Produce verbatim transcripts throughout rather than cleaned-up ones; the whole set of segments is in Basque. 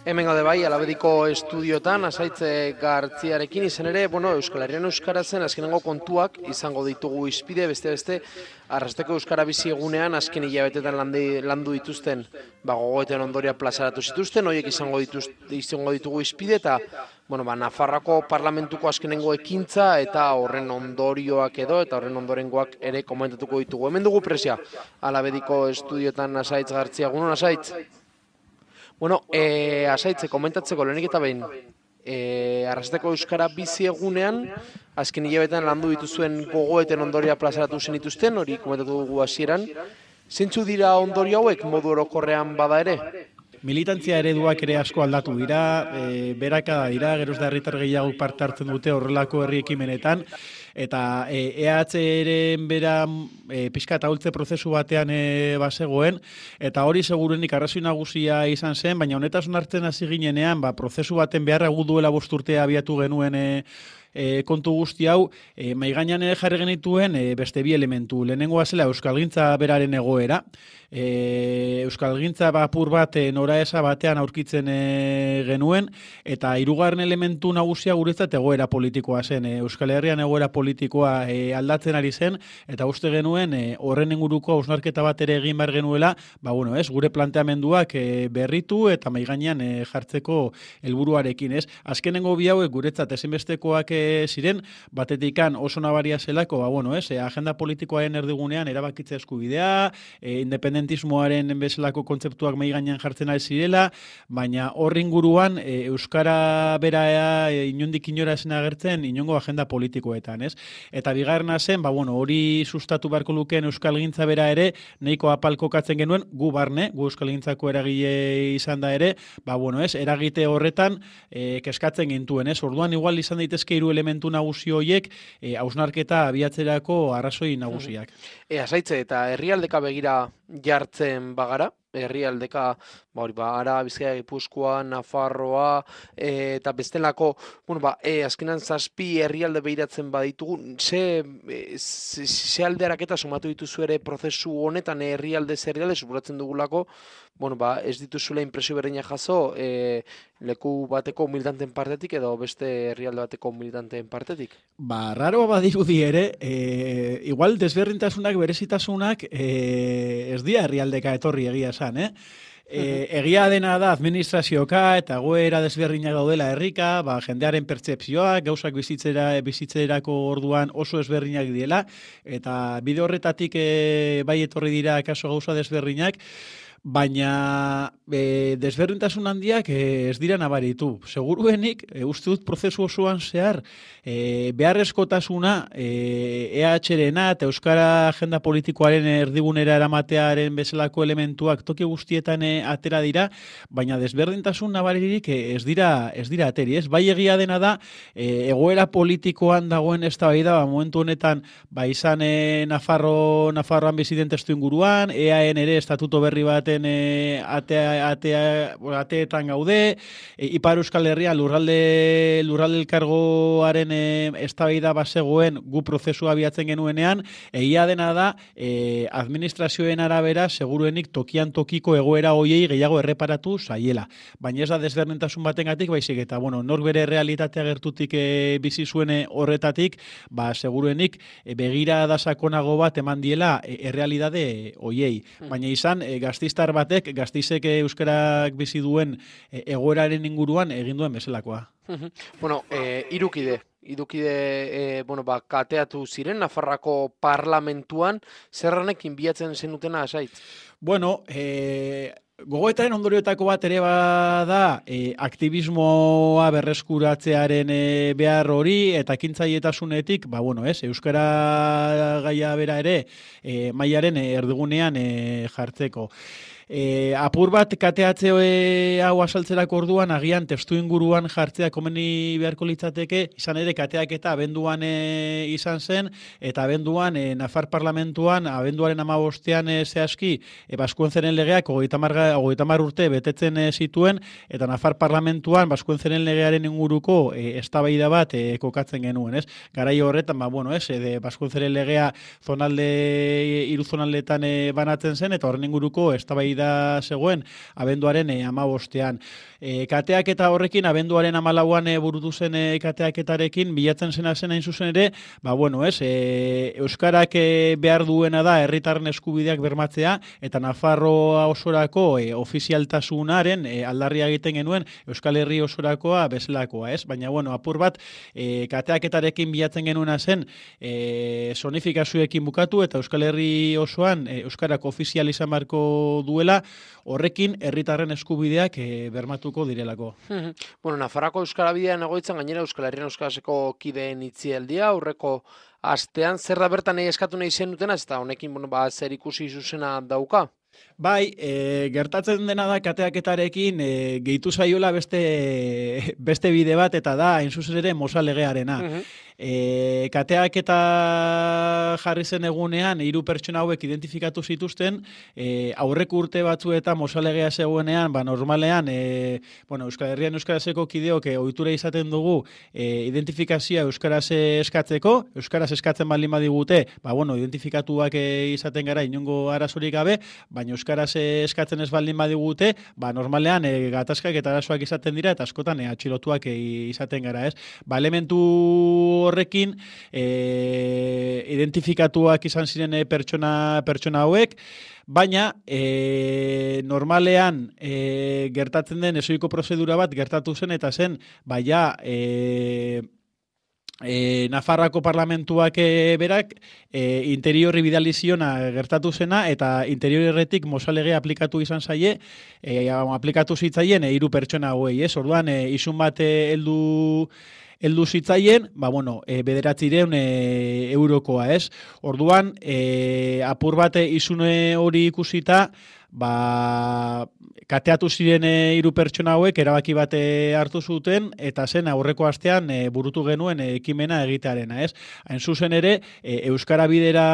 Hemen gaude bai, Alabediko estudiotan, Asaitz Gartziarekin izan ere, bueno, Euskal Herrian euskaratzen azkenengo kontuak izango ditugu izpide, beste beste, Arrasteko Euskara bizi egunean azken hilabetetan landi, landu dituzten, ba, gogoeten ondoria plazaratu zituzten, horiek izango, dituz, izango ditugu izpide, eta, bueno, ba, Nafarroako parlamentuko azkenengo ekintza, eta horren ondorioak edo, eta horren ondorengoak ere komentatuko ditugu. Hemen dugu presia, Alabediko estudiotan Asaitz Gartzia, egunon Asaitz? Bueno, eh, Asaitz, komentatzeko lehenik eta behin, eh, Arrasteko Euskara bizi egunean, azken hilabetean landu dituzuen gogoeten ondoria plazaratu zenituzten, hori komentatu dugu hasieran. Zentzu dira ondorio hauek modu orokorrean bada ere? Militantzia ereduak ere asko aldatu dira, e, berakada dira, geroz da herritar gehiago parte hartzen dute horrelako herri ekimenetan, eta e, E H eren bera e, pixka eta hultze prozesu batean e, bazegoen, eta hori segurenik arrazoi nagusia izan zen, baina honetasun hartzen hasi ginenean, ba, prozesu baten beharra gu duela bost urtea abiatu genuen e, E, kontu guzti hau, e, maigainan ere jarri genituen e, beste bi elementu. Lehenengoa zela Euskalgintza beraren egoera. E, Euskalgintza apur bat e, noraeza batean aurkitzen e, genuen, eta hirugarren elementu nagusia guretzat egoera politikoa zen. E, Euskal Herrian egoera politikoa e, aldatzen ari zen, eta uste genuen e, horren inguruko hausnarketa bat ere egin behar genuela, ba, bueno, ez, gure planteamenduak e, berritu eta maigainan e, jartzeko helburuarekin, ez. Azkenengo bi hauek guretzat ezinbestekoak e, ziren, batetikan oso nabaria zelako, ba, bueno, ez, agenda politikoaren erdigunean erabakitze eskubidea, e, independentismoaren bezalako kontzeptuak mai gainean jartzen ari zirela, baina horri inguruan e, euskara bera e, inondik inora zen agertzen inongo agenda politikoetan, ez? Eta bigarrena zen, ba, bueno, hori sustatu beharko lukeen euskalgintza bera ere, nahiko apalkokatzen genuen, gu barne, gu euskalgintzako eragile izan da ere, ba, bueno, ez, eragite horretan e, keskatzen gintuen, ez? Orduan igual izan daitezke hiru elementu nagusi horiek e, hausnarketa abiatzerako arrazoi nagusiak. E, Asaitze, eta herrialdeka begira jartzen bagara, herrialdeka, ba, hori, ba, Ara, Bizkaia, Gipuzkoa, Nafarroa, e, eta bestelako, bueno, ba, e, azkenan zazpi herrialde behiratzen baditugu, ze, e, ze, ze aldearaketa sumatu dituzu ere prozesu honetan herrialde herrialde supuratzen dugulako, bueno, ba, ez dituzula impresio berdina jaso, e, leku bateko militanteen partetik edo beste herrialde bateko militanteen partetik? Ba, raroa badirudi ere, e, igual desberdintasunak, berezitasunak, e, ez dira herrialdeka etorri egia esan, eh? E, egia dena da administrazioka eta goera desberdinak daudela herrika, ba, jendearen pertzepzioak, gauzak bizitzera, bizitzerako orduan oso ezberdinak diela, eta bide horretatik e, bai etorri dira kaso gauza desberdinak, baina e, desberdintasun handiak e, ez dira nabaritu. Seguruenik, e, uste dut prozesu osoan zehar, e, beharrezkotasuna e, E H rena eta Euskara agenda politikoaren erdigunera eramatearen bezalako elementuak toki guztietan e, atera dira, baina desberdintasun nabaririk e, ez dira ez dira ateri, ez? Bai egia dena da, e, egoera politikoan dagoen eztabaida, ba, momentu honetan, ba, izan e, Nafarro, Nafarroan biziten testu inguruan, E A N ere estatuto berri baten E, atea, atea, ateetan gaude, e, Ipar Euskal Herria lurralde, lurralde elkargoaren e, eztabaida bazegoen gu prozesua abiatzen genuenean, egia dena da e, administrazioen arabera seguruenik tokian tokiko egoera hoiei gehiago erreparatu zaiela. Baina ez da desberdintasun batengatik, baizik eta bueno, nork bere realitatea gertutik e, bizi zuen horretatik, ba seguruenik e, begira da sakonago bat eman diela e, errealitate hoiei. Baina izan e, gaztistar batek, gaztizek euskarak bizi duen e, egoeraren inguruan egin duen bezalakoa. Bueno, e, irukide, irukide e, bueno, ba, kateatu ziren Nafarroako parlamentuan, zerranekin bilatzen zenutena Asaitz? Bueno, e, gogoetaren ondorioetako bat ere bada e, aktivismoa berreskuratzearen e, behar hori eta ekintzailetasunetik, ba bueno, ez, euskara gaia bera ere e, mailaren e, erdigunean e, jartzeko. E, apur bat kateatze e, hau asaltzerako orduan, agian testu inguruan jartzea komeni beharko litzateke, izan ere kateak eta abenduan e, izan zen, eta abenduan e, Nafar parlamentuan, abenduaren amabostean e, zehazki, e, Baskuentzeren legeak hogeita hamar urte betetzen e, zituen, eta Nafar parlamentuan Baskuentzeren legearen inguruko e, eztabaida bat e, kokatzen genuen, ez? Garai horretan, ba, bueno, ez, e, Baskuentzeren legea zonalde, hiru zonaldetan e, banatzen zen, eta horren inguruko eztabaida eztabaida zegoen abenduaren e, amabostean. E, kateak eta horrekin, abenduaren amalauan e, burutu zen e, kateaketarekin, bilatzen zena zen hain zuzen ere, ba bueno, ez, e, Euskarak e, behar duena da herritarren eskubideak bermatzea, eta Nafarroa osorako e, ofizialtasunaren e, aldarria egiten genuen Euskal Herri osorakoa bezalakoa, ez? Baina, bueno, apur bat, e, kateaketarekin bilatzen genuena zen e, zonifikazioekin bukatu, eta Euskal Herri osoan e, Euskarak ofizial izan beharko duela, horrekin herritarren eskubideak e, bermatu direlako. Bueno, Nafarroako Euskara Bidean egoitzan gainera Euskal Herrian Euskaraseko kideen itzialdia, aurreko astean, zer da bertan nahi eskatu nahi zen dutena, ez da honekin bueno, ba, zer ikusi zuzena dauka? Bai, e, gertatzen dena da kateaketarekin e, gehitu zaiola beste, beste bide bat, eta da, hain zuzen ere, Mosa legearena. Uh -huh. E, kateaketa jarri zen egunean, hiru pertsona hauek identifikatu zituzten, e, aurreko urte batzu eta Mosa legea zegoenean, ba, normalean, e, bueno, Euskal Herrian Euskaraseko kideok e, ohitura izaten dugu e, identifikazioa Euskaraz eskatzeko, Euskaraz eskatzen baldin badigute, ba, bueno, identifikatuak e, izaten gara inongo arazorik gabe, baina Euskaraz eskatzen ez baldin badigute, ba, normalean e, gatazkak eta arazoak izaten dira, eta askotan e, atxilotuak e, izaten gara, ez? Ba, elementu horrekin e, identifikatuak izan ziren e, pertsona, pertsona hauek, baina e, normalean e, gertatzen den ezoiko prozedura bat gertatu zen, eta zen, baina e, E, Nafarroako parlamentuak e, berak e, interiorri bidali ziona gertatu zena, eta interiorretik Mosa legea aplikatu izan zaie, e, aplikatu zitzaien e, hiru pertsona hauei, ez? Orduan, e, isun bat heldu heldu zitzaien, ba, bueno, e, bederatzireun e, eurokoa, ez? Orduan, e, apur bat izune hori ikusita, ba, kateatu ziren hiru pertsona hauek erabaki bat hartu zuten, eta zen aurreko astean e, burutu genuen e, ekimena egitearena, ez? Hain zuzen ere, e, Euskara bidera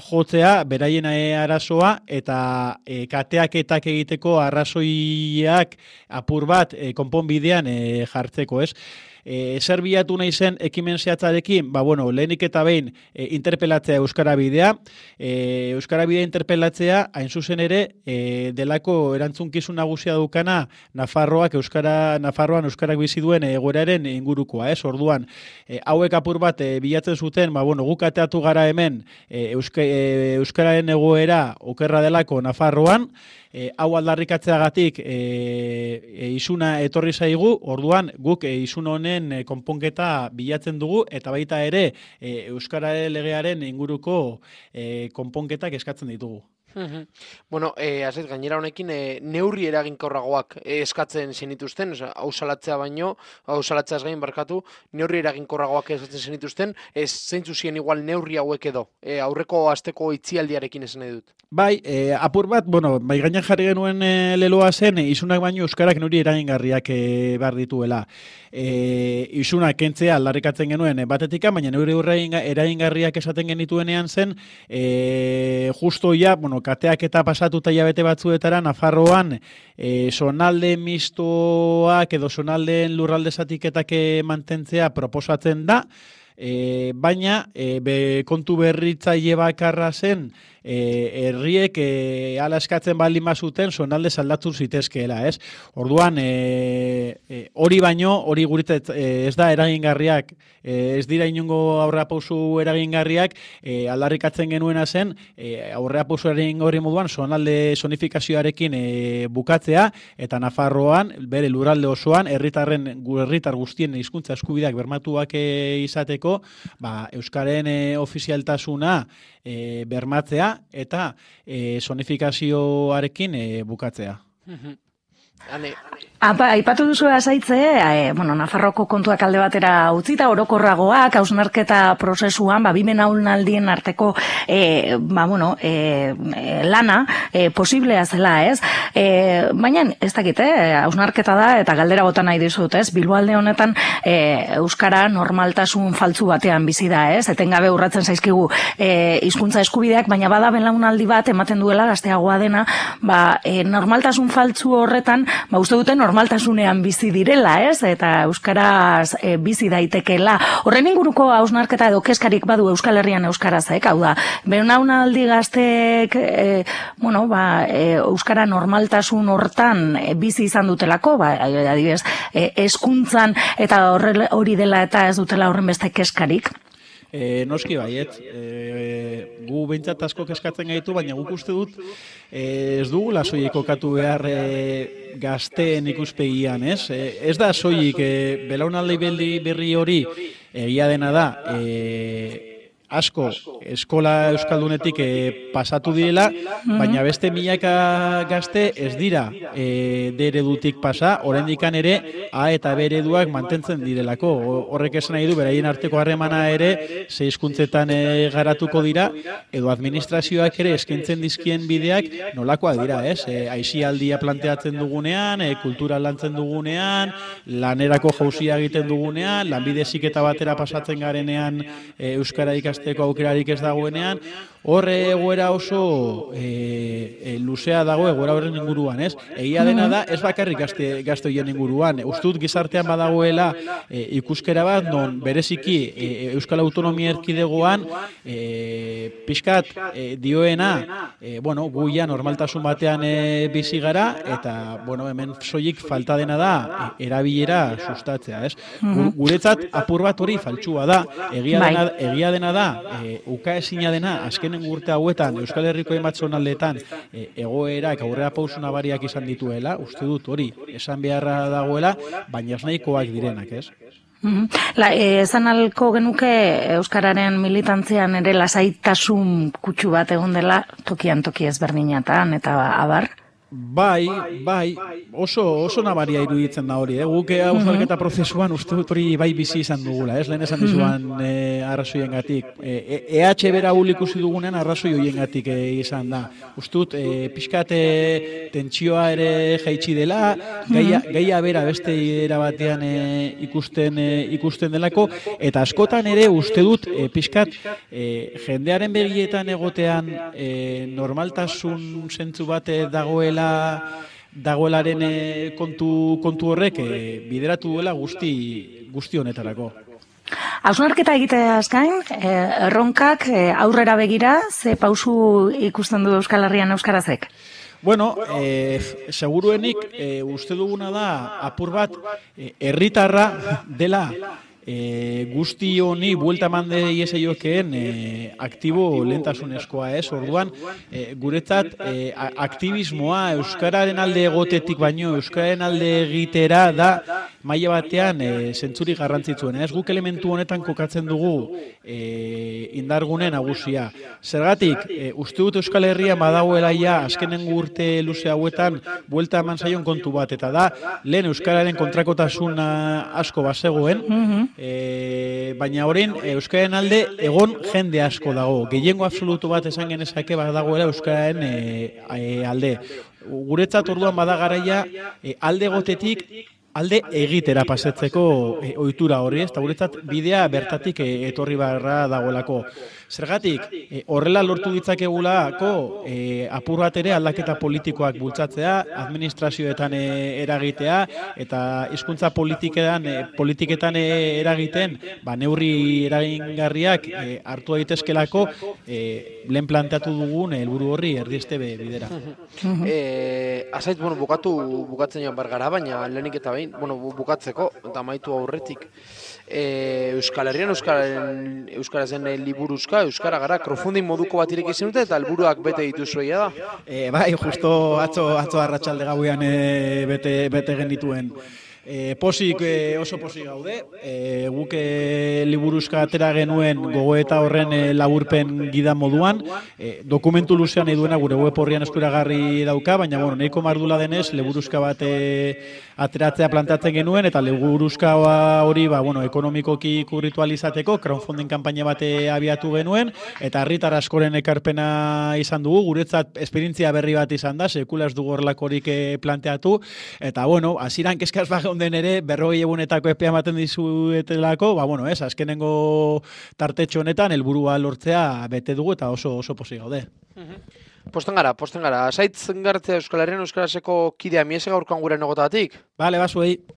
jotzea, beraien e, arazoa, eta e, kateaketak egiteko arrazoiak apur bat e, konponbidean e, jartzeko, ez? E, zer bilatu nahi zen ekimen zehatzarekin, ba, bueno, lehenik eta behin e, interpelatzea Euskara Bidea. E, Euskara Bidea interpelatzea, hain zuzen ere, e, delako erantzunkizun nagusia dukana Nafarroak Euskara, Nafarroan Euskarak bizi duen egoeraren ingurukoa, ez? Orduan, e, hauek apur bat e, bilatzen zuten, ba, bueno, guk ateatu gara hemen e, Euska, e, Euskararen egoera okerra delako Nafarroan, E, hau aldarrikatzeagatik e, e, isuna etorri zaigu, orduan guk e, isun honen e, konponketa bilatzen dugu, eta baita ere e, Euskara legearen inguruko e, konponketak eskatzen ditugu. Bueno, eh, azet, gainera honekin eh, neurri eraginkorragoak eh, eskatzen zenituzten, hau salatzea baino, hau salatzeaz gain barkatu, neurri eraginkorragoak eskatzen zenituzten, ez zeintzu ziren igual neurri hauek edo, eh, aurreko asteko itzialdiarekin esan nahi dut. Bai, eh, apur bat, bueno, bai gainan jarri genuen eh, leloa zen, eh, isunak baino Euskarak neurri eragingarriak eh, behar dituela. Eh, isunak kentzea aldarrikatzen genuen eh, batetika, baina neurri eragingarriak esaten genituenean zen, eh, justo ja, bueno, kateak eta pasatuta hilabete batzuetara Nafarroan e, zonalde mistoak edo zonaldeen lurralde zatiketak mantentzea proposatzen da, e, baina e, be, kontu berritzaile bakarra zen e, herriek e, ala eskatzen baldin bazuten zonalde aldatu zitezkeela, ez? Orduan, e, e, hori baino, hori guretzat e, ez da eragingarriak, e, ez dira inongo aurrerapauso eragingarriak, e, aldarrikatzen genuena zen, e, aurrerapauso eragingarri moduan zonalde zonifikazioarekin e, bukatzea, eta Nafarroan, bere lurralde osoan, herritarren herritar guztien hizkuntza eskubideak bermatuak e, izateko, ba, Euskaren e, ofizialtasuna e, bermatzea, eta e, zonifikazioarekin e, bukatzea. Ane. Apa, aipatu duzu azaitze, e, bueno, Nafarroko kontuak alde batera utzita, orokorragoak, hausnarketa prozesuan, ba, bimen haunaldien arteko, e, ba, bueno, e, lana, e, posiblea zela, ez? E, baina, ez dakit, eh, hausnarketa da, eta galdera bota nahi dizut, ez? Bilboalde honetan, e, Euskara normaltasun faltzu batean bizi da, ez? Etengabe urratzen zaizkigu e, hizkuntza eskubideak, baina bada belaunaldi bat ematen duela gazteagoa dena, ba, e, normaltasun faltzu horretan, ba, uste dute normaltasunean bizi direla, ez? Eta euskaraz e, bizi daitekeela. Horren inguruko hausnarketa edo keskarik badu Euskal Herrian euskarazek, hau da, belaunaldi gazteek, e, bueno, ba, e, euskara normaltasun hortan e, bizi izan dutelako, ba, adibidez, e, hezkuntzan eta horre, hori dela eta ez dutela horren beste keskarik. E, noski baiet, e, gu behintzat asko keskatzen gaitu, baina guk uste dut e, ez dugula soilik kokatu behar e, gazteen ikuspegian, ez? E, ez da soilik e, belaunaldi berri hori egia dena da, e, asko eskola euskaldunetik e, pasatu direla, baina beste milaka gazte ez dira e, D eredutik pasa, oraindikan ere A eta B ereduak mantentzen direlako. Horrek esan nahi du, beraien arteko harremana ere ze hizkuntzetan e, garatuko dira, edo administrazioak ere eskaintzen dizkien bideak nolakoak dira, ez? E, aisialdia planteatzen dugunean, e, kultura lantzen dugunean, lanerako jauzia egiten dugunean, lanbide heziketa batera pasatzen garenean e, euskara ikasteko aukerarik ez dagoenean, horre egoera oso e, e, luzea dago egoera horren inguruan, ez? Egia dena da, ez bakarrik gazte, gazte horien inguruan. Ustut gizartean badagoela e, ikuskera bat, non bereziki e, Euskal Autonomia Erkidegoan e, pixkat e, dioena, e, bueno, guia normaltasun batean e, bizi gara, eta, bueno, hemen soilik falta dena da e, erabilera sustatzea, ez? Guretzat apur bat hori faltsua da, egia dena, egia dena da, e, ukaezina dena, azkenen urte hauetan, Euskal Herriko hainbat zonaldetan e, egoerak aurrera pausu nabariak izan dituela, uste dut hori, esan beharra dagoela, baina ez nahikoak direnak, ez? La, e, esan alko genuke Euskararen militantzian ere lasaitasun kutsu bat egon dela tokian toki ezberdinatan eta abar? Bai, bai, oso, oso nabaria iruditzen da hori, eh? Guk hausnarketa prozesuan uste dut hori bai bizi izan dugula, ez? Lehen esan dizuan eh, arrazoien gatik. E, E H bera hul ikusi dugunean arrazoi horien gatik eh, izan da. Uste dut, eh, pixkat eh, tentsioa ere jaitsi dela, gaia, gaia bera beste era batean eh, ikusten, eh, ikusten delako, eta askotan ere uste dut, eh, pixkat eh, jendearen begietan egotean eh, normaltasun zentzu bat dagoela dagoelaren e, kontu, kontu horrek e, bideratu duela guzti, guzti honetarako. Hausnarketa egiteaz gain, e, erronkak e, aurrera begira, ze pausu ikusten du Euskal Herrian euskarazek? Bueno, e, seguruenik e, uste duguna da apur bat e, herritarra dela E, guzti honi buelta mande ieseiokeen e, aktibo lehentasunezkoa, ez? Orduan, e, guretzat e, aktivismoa euskararen alde egotetik baino euskararen alde egitera da maila batean e, zentzuri garrantzitsuen. Ez guk elementu honetan kokatzen dugu e, indargune nagusia. Zergatik, e, uste dut Euskal Herrian badagoela ja azkenen urte luze hauetan buelta eman zaion kontu bat, eta da lehen euskararen kontrakotasuna asko bazegoen, E, baina orain euskararen alde egon jende asko dago. Gehiengo absolutu bat esan genezake badagoela euskararen e, e, alde. Guretzat orduan bada garaia e, alde gotetik alde egitera pasetzeko e, ohitura hori, ez? Ta guretzat bidea bertatik e, etorri barra dagoelako. Zergatik, e, horrela lortu ditzakegulako e, apur bat ere aldaketa politikoak bultzatzea, administrazioetan e, eragitea, eta hizkuntza politiketan, e, politiketan e, eragiten, ba, neurri eragingarriak e, hartu daitezkelako e, lehen planteatu dugun helburu horri erdieste bidera. e, Azait, bueno, bukatu bukatzen joan bergara, baina lehenik eta behin, bueno, bukatzeko, eta amaitu aurretik, e, Euskal Herrian, Euskaren, Euskarazen liburuzka, Euskara gara, crowdfunding moduko bat ireki zenute eta helburuak bete dituzuia da? E, bai, justo atzo, atzo arratsalde gauean e, bete, bete genituen. E, posik, e, oso posik gaude, e, guk e, liburuzka atera genuen gogoeta horren e, laburpen gida moduan, e, dokumentu luzean nahi duena gure web horrian eskuragarri dauka, baina bueno, nahiko mardula denez, liburuzka bat e, ateratzea plantatzen genuen, eta liburuzka hori ba, bueno, ekonomikoki kurritualizateko, crowdfunding kanpaina bat abiatu genuen, eta herritar askoren ekarpena izan dugu, guretzat esperientzia berri bat izan da, sekula ez dugu horrelakorik e, planteatu, eta bueno, hasieran kezkaz bat den ere, berrogei egunetako epea ematen dizuetelako, ba, bueno, ez, azkenengo tartetxo honetan, helburua lortzea bete dugu eta oso oso pozik gaude. Posten gara, posten gara. Saitz Gartzia Euskal Herrian Euskaraseko kidea miese gaurkoan gure negotatik. Bale, basuei.